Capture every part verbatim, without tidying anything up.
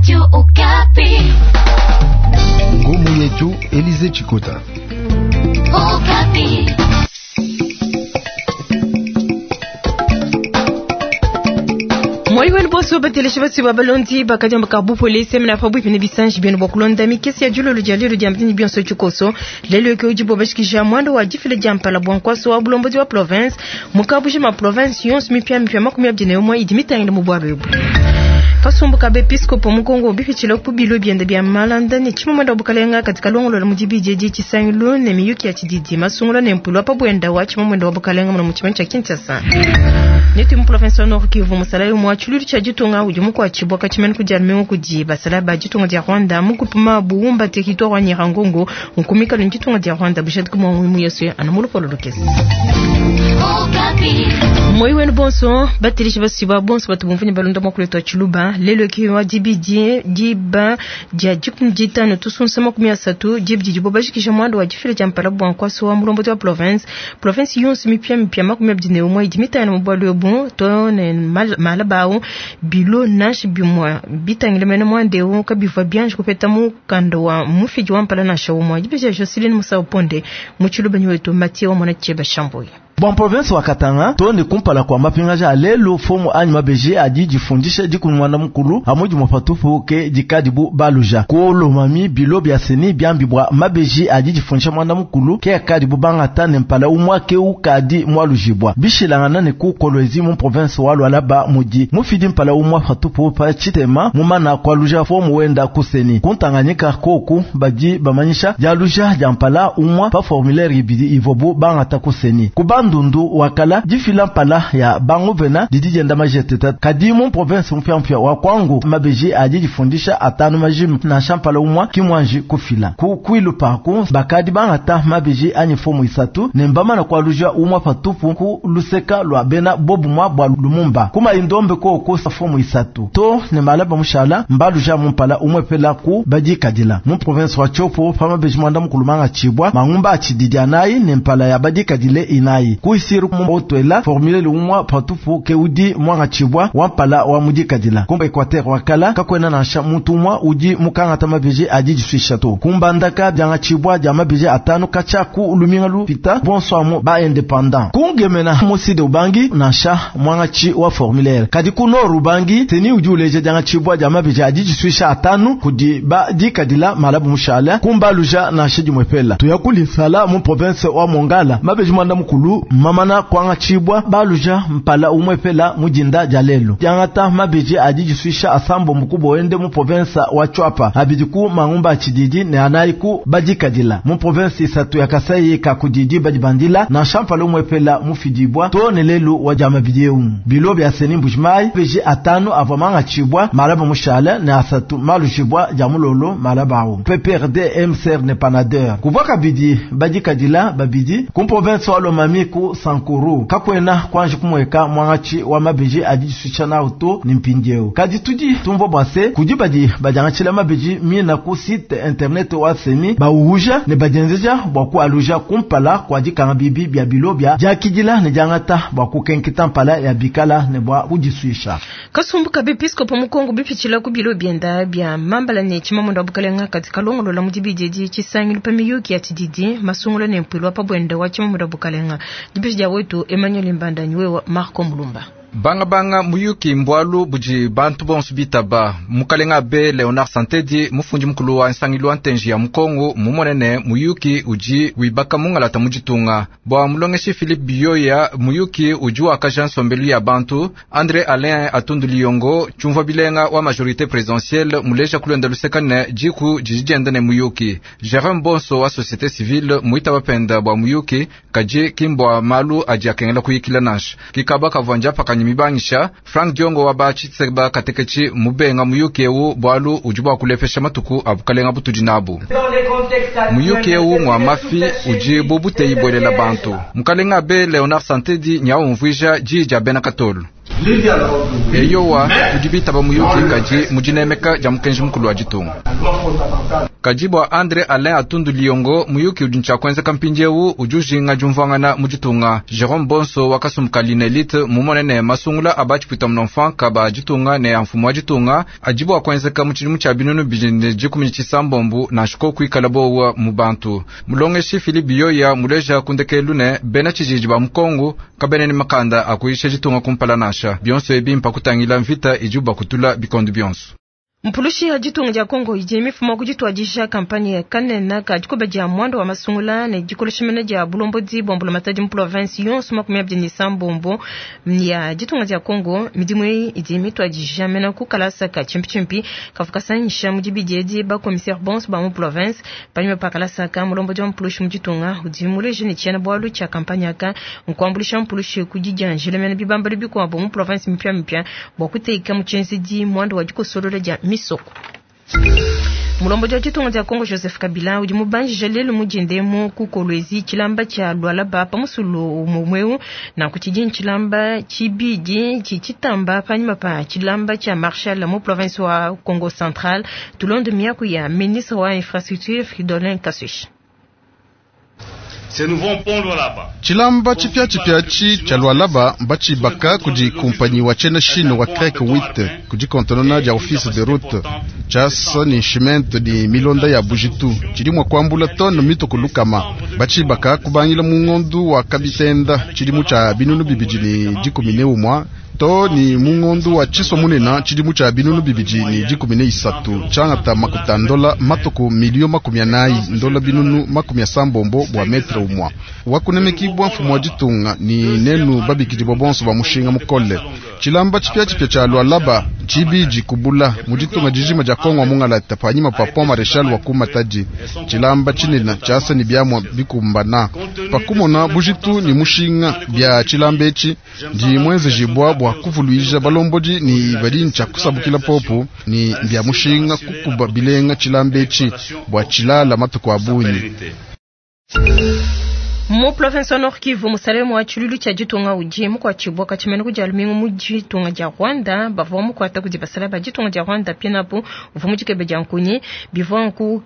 Radio Okapi. Ngumu yetu Elize Chikota. Okapi. Mwali wenu bonso bateleshi basi ba balondi bakadiamba ka bu polisi mena fa bwipine bisanji byenu bwa kulonda mikesi ya julolo dia lelo dia mtini bionso tshikoso lelo ke ujibo bashikisha mwando wa jifile dia mpala bwa nkwaso wa bulombozi wa province mukabuji ma province yonso mipya mipya makumi abiri na umwe idi mitangile mu bwalo ebu. Kasumbu ka bepiskopo mu Kongo bipitshila ku bilo bienda bia malanda ne tshimumanda wa bukalenga katika longolola mu dibidi edi tshisangilu ne miyuki ya tshididi masungula ne mpulu wa pa bwenda wa tshimumanda wa bukalenga muno mu tshimenga tshia Kinshasa. Netu mu province wa Nord Kivu musalayi umwe wa tshilulu tshia ditunga udi mukuatshibua katshimene ku dia lumingu kudi basalayi ba ditunga dia Rwanda mu kupima buwumba territoire wa Nyiragongo nkumikalo ni ditunga dia Rwanda bushadika mwa muimu yesu anu mu lupolo lukese. Okapi. Moi wenu bonso batilishi basiba bonso batu bumvunye balonda mwa kuletwa tshiluba lelo ki wa dibidi diba dia dikumi ditanu tusunsa makumi asatu dibidi dibo bashikisha mwando wa difile dia mpala bwa nkwaso wa mulombozi wa province province yonso mipya mipya makumi abiri ne umwe idi mitano mu bwalu ebu to ne mal- malabau bilo nashi bimwa bitangile mene mwandeu kabivwa byanje kupeta mukanda wa mufidi wa mpala nasha umwe dibidi Jocelyn Musa Ponde mu tshiluba nyiwetu Mathieu wa mwana Cheba Shamboyi. Bwa province wa Katanga tone kumpala kwa mapingaja alelu fomu anyi mabeji adi difundisha dikunwanda mukulu hamudi mupatupu ke dikadibu baluja kuolomami bilo bya seni byambi bwa mabeji adi difundisha mwanda mukulu ke akadibu bangata ne mpala umwa ke ukadi mwalujibwa bishilangana ne ku Kolwezi mu province wa Lualaba mudi mufidi mpala umwa patupu pa chitema mumana kwaluja fomu wenda kuseni kuntanganyika koku badi bamanyisha dialuja dia mpala umwa pa formulaire ibidi ivobu bangata kuseni kubandundu wakala difila mpala ya banguvena didi dienda majeteta kadi mu province mpyampya wa kwangu mabeji adi difundisha atanu majimu nansha mpala umwa kimwanji kufila ku kwilu paku bakadi bangata mabeji anyi fomu isatu ne mbamana kwaluja umwa patupu ku luseka lwa bena bobumwa bwa lumumba kuma indombe koko fomu isatu to ne malaba mushala mbaluja mumpala umwe pela ku badikadila mu province wa Tshopo pa mabeji mwanda mukulumanga chibwa mangumba achididi anayi ne mpala ya badikadile inayi kuisiru mu otwela formule umwa patupu ke udi mwanga chibwa wa mpala wa mudikadila kumba Equateur wakala kakwena nansha muntu umwa udi mukangata mabeji adi diswisha to kumbandaka byanga chibwa dia mabeji atanu kacha ku luminga lupita bonso ba indépendant kungemena muside ubangi nansha mwanga chi wa formulaire kadi ku nord ubangi teni udi uleja dianga chibwa dia mabeji adi diswisha atanu kudi ba dikadila malabu mushala kumbaluja nansha dimwepela tuyakulisala mu province wa Mongala mabeji mwanda mukulu mamana kwanga chibwa baluja mpala umwepela mujinda dia lelo diangata mabeji adi diswisha asambo mukubwa wende mu province wa Tshuapa abidi ku mangumba achididi ne anayi ku badikadila mu province isatu ya Kasai ka kudidi badibandila nansha mpala umwepela mufidibwa to ne lelu wa diama bidiewu bilo bya seni Mbujimayi beji atanu avwa manga chibwa malaba mushala ne asatu malujibwa dia mulolo malaba awu P P R D M C R ne panader kuvwa kabidi badikadila babidi ku province wa Lomami ku Sankuru kakwena kwanji kumweka mwangachi wa mabeji adi diswisha na auto ni mpindieu kadi tudi tumvo bwase kudi badi badiangatshila mabeji mina ku site internet wa seni bauhuja ne badienzeja bwa kualuja kumpala kwa dikanga bibi bya bilo bya diakidila ne diangata bwa kukenketa mpala ya bikala ne bwa kudiswisha. Kasumbu ka bepiskopo mu Kongo bipitshila ku bilo bienda bia mambala ne tshimamunda wa bukalenga katika longolola mu dibidi edi tshisangilu pa miyuki ya tshididi masungula ne mpuilu wa pa bwenda wa tshimamunda wa bukalenga dipitshi dia wetu Emmanuel Mbanda nywewa Marco Mulumba. Bangabanga muyuki mbwalu budi bantu bonso bitaba mukalenga abe Leonard Santedi mufundi mukulu wa nsangilu wa ntenji ya mukongo mumonene muyuki udi wibaka mungalata muditunga bua mulongeshi Philippe Biyoya muyuki udi wakaja nsombelu ya bantu André Alain Atundu Liyongo tshumva bilenga wa majorité présidentielle muleja kulonda lusekane diku didi dienda ne muyuki Jérôme Bonso wa société civile muita bapenda bua muyuki kadi kimbwa malu adi akengela kuyikila nansha kikaba kavua pakanya mibangisha Frank Diongo wa bachitseba katekechi mubenga muyuki ewu bwalu udi bua kulepesha matuku abukalenga butudi nabu muyuki ewu ngwa mafi udi bubuteyi bwelela bantu mukalenga abe Leonard Santedi nyaumvuija dija bena katolu. Eyowa tudi bitaba muyuki kadi mu dinemeka dia mukenji mukulu wa ditunga. Kadi bua Andre Alain Atundu Liongo muyuki udi ntshia mpindiewu udi ujinga diumvuangana mu ditunga. Jerome Bonso wakasumbuka Linelite mumone ne masungula aba tshipwita munonfanka ba ditunga ne amfumu wa ditunga adi bua kuenzeka mu tshidimu tshia binunu bibidi ne dikumi ne tshisambombo nansha kuikala bowa mu bantu. Mulongeshi Philippe Biyoya muleja kundekelu ne bena tshijiji ba Mukongo kabene ne makanda akuyisha ditunga kumpala nansha bionso ebi mpakutangila mvita idi bakutula bikondo bionso. Mpulushi ya ditunga dia Kongo idi mifumo kudituadisha kampanye ya kanena ka dikoba dia mwando wa masungula ne dikoleshemena dia bulombodi bwa mbulamatadi mu province yonso makumi abidi ne sambombo ya ditunga dia Kongo. Midimu eyi idi mituadisha mena ku kalasa ka chimpichimpi kavukasanyisha mu dibidi edi ba commissaire bonso ba mu province panyuma pa kalasa ka mulombodi wa mpulushi mu ditunga udi muleje ne tshiena bualu tshia kampanye aka nkuambulisha mpulushi ku didianjila mena bibambalu bikuabo mu province mipya mipya bua kuteka mu tshienzedi mwando wa dikosolola dia misoko. Mulombodi wa ditunga dia Kongo Joseph Kabila udi mubanjije lelu mudindemu ku Kolwezi tshilamba tshia Lualaba pa musulu mumweu na kutshidi tshilamba tshibidi tshitamba panyima pa tshilamba tshia Marshal mu province wa Kongo Central. Tulonde miaku ya ministre wa infrastructure Fridolin Kasush. Tshilamba tshipya tshipya tshi tshia Lualaba batshibaka kudi kumpanyi wa tshiena Chine wa Crec huit kudi kontonona dia office de route tshiasa ni ciment ni milonda ya bujitu tshidi mua kuambula tone mituku lukama batshibaka kubangila mu ngondu wa kabitenda tshidimu tshia binunu bibidi ne dikumi ne umwa to ni mungondu wa tshiso munena tshidimu tshia binunu bibidi ne dikumi ne isatu tshiangata makuta ndola matuku milio makumi anayi ndola binunu makumi asambombo bua metre umwa wakunemekibwa mfumu wa ditunga ni nenu babikidibwa bonso ba mushinga mukole. Tshilamba tshipya tshipya tshia Lualaba tshibidi kubula mu ditunga dijima dia Kongo mungalata panyima pa pont Marechal wa kumatadi. Tshilamba tshinena tshiasa ni biamwa bikumbana pakumona bujitu ni mushinga bia tshilamba etshi ndi mwenzejibwa bua kuvuluija balombodi ni badi ntshia kusabukila popo ni bia mushinga kukuba bilenga tshilamba etshi bua tshilala matuku abunyi. Mu province wa Nord Kivu musalemu wa tshilulu tshia ditunga udi mukuatshibua katshimene kudi alumingu mu ditunga dia Rwanda bavua mukuata kudi basala ba ditunga dia Rwanda pienapo uvua mu dikebe dia nkunyi bivua nku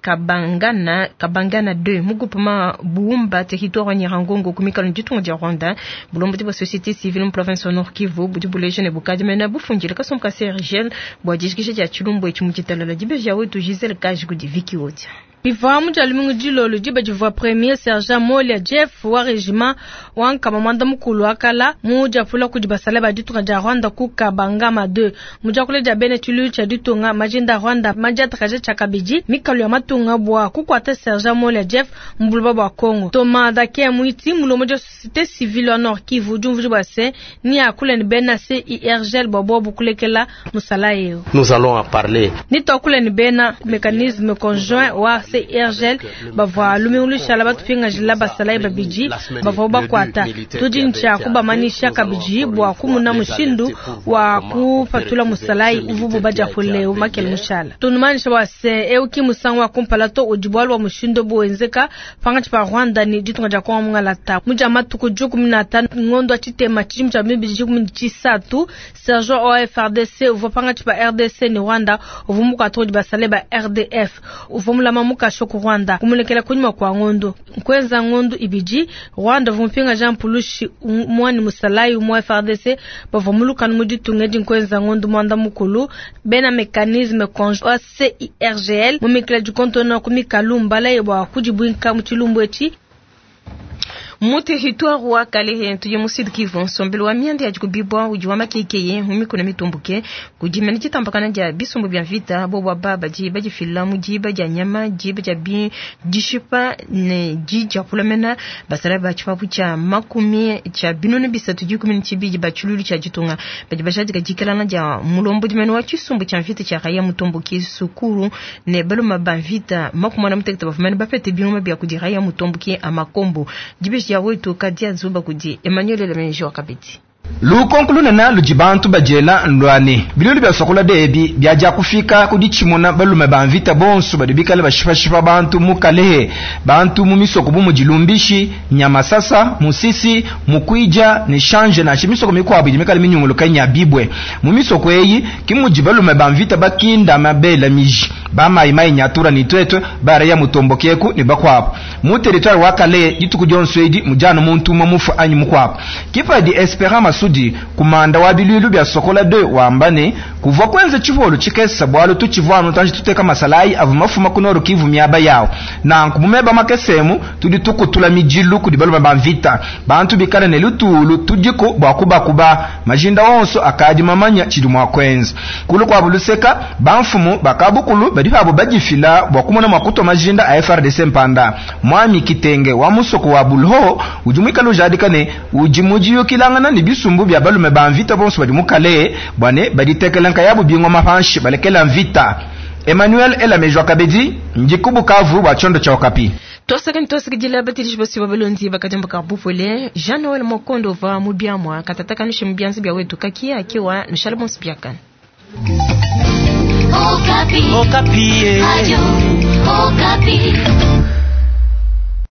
kabangana kabangana deux mu groupement Buumba territoire wa Nyirangongo ku mikalo ditunga dia Rwanda. Bulombodi bua société civile mu province wa Nord Kivu budi buleje ne bukadi mena bufundile kasumbu ka C R G L bua dijikisha dia tshilumbu etshi mu ditalala dibeja wetu Giselle Kaji kudi Vicky Odia. Bivua mu dia lumingu dilolo diba divua premier sergent Molia Jeff wa regiment wa nkama mwanda mukulu akala mu diapula kudi basala ba ditunga dia Rwanda ku Kabangama deux mu diakula dia bene tshilu tshia ditunga majinda Rwanda majiatakaja tshia kabidi mikalo ya matunga bua kukuata sergent Molia Jeff mbuluba bua Kongo. Thomas Dake Mwiti mulomo dia société civile wa Nord Kivu diumvuji bua se ni akula ni bena C I R G L bua bobu kulekela musala eo. Nous allons en parler. Ni tokula ni bena mécanisme conjoint wa C I R G L bavua lumingulushala batupinga jila basala babidi bavua bakwata tudi ntsha kubamanisha kabidi bua kumuna mushindu wa kupatula musalai uvubu badiapule umakele mushala tunumanisha bua se euki musangu wa kumpala to udi bualu wa mushindu buenzeka pangatshi pa Rwanda ni ditunga dia Kongo mungalata muja matuku dikumi na tano ngondo tshitema tshidimu tshia bibidi dikumi tshisatu sergent O F R D C uvua pangatshi pa R D C ni Rwanda uvua mukwata udi basale ba R D F uvua mulama mukasho ku Rwanda kumulekela kunyuma kwa ngondo nkweza ngondo ibidi Rwanda vumpinga Jean Pulushi mwani musalai mwa F R D C bavua mulukanu mu ditunga edi nkweza ngondo mwanda mukulu bena mécanisme conjoint C I R G L mumikila dikontona ku mikalu mbala yebwa kudibwinka mu tshilumbu etshi. Mu territoire wa Kalehe tuye mu Sud Kivu nsombelu wa mianda ya dikubibwa udi wa makekeye mu mikuna mitumbuke kudimena ditambakana dia bisumbu bia mvita bo baba badi badifila mu diba dia nyama diba dia bi dishipa ne dija kulamena basala ba tshipapu tshia makumi tshia binunu bisatu dikumi ne tshibidi ba tshilulu tshia ditunga badi bashadika dikelana dia mulombo dimene wa tshisumbu tshia mvita tshia raya mutomboke sukuru ne baluma ba mvita makumi na mutekete bavumene bapete bingoma bia kudi raya mutomboke amakombo dibe ya wetu kadia zuba kudi Emmanuel Lemenjo akabeti. Lukonko lunene ludi bantu badiela ndwane bilulu bia Sokola debi biadia kufika kudi tshimuna balume ba mvita bonso badi bikale bashipashipa bantu mu Kalehe, bantu mu misoko bu mudi Lumbishi, Nyamasasa, Musisi, Mukwija ne Shanje na misoko mikuabu idi mikale minyunguluka nya bibwe. Mu misoko eyi ki mudi balume ba mvita bakinda mabela miji ba mai mai nyatura ni twetwe baraya mutombokeku ne bakwabo mu territoire wa Kalehe dituku dionso edi mujana muntu umwe mufu anyi mukwabo. Kipadi Esperant Masudi kumanda wa bilulu bya Sokola deux wambane kuvwa kwenze chivolo chikesa bwalo tuchivwano tanji tuteka masalai avu mafuma kunoro Kivu miaba yao na nkumumeba makesemu tudi tukutula mijilu kudi balume ba mvita bantu bikale ne lutulu tudiko bwa kubakuba majinda onso akadi mamanya chidi mwa kwenza kulu kwa buluseka bamfumu bakabukulu badi pabo badifila bwa kumona mwakuto majinda a F R D C mpanda mwami kitenge wa musoko wa bulho ujumwika lujadika ne ujimujiyukilangana ni bisumbu bya balume ba mvita bonso badi mukale bwane baditekela nkayabu bingoma panshi balekela mvita. Emmanuel Elamejwa Kabedi ndikubukavu bwa chondo cha Okapi. Twasaka ntwasaka batilishi basi babalondi bakajamba kabupole Jean Noel Mokondo va mubiamwa katataka nushe mubianzi bya wetu kakia akiwa nushala bonso byakana. Okapi. Okapi. Radio Okapi.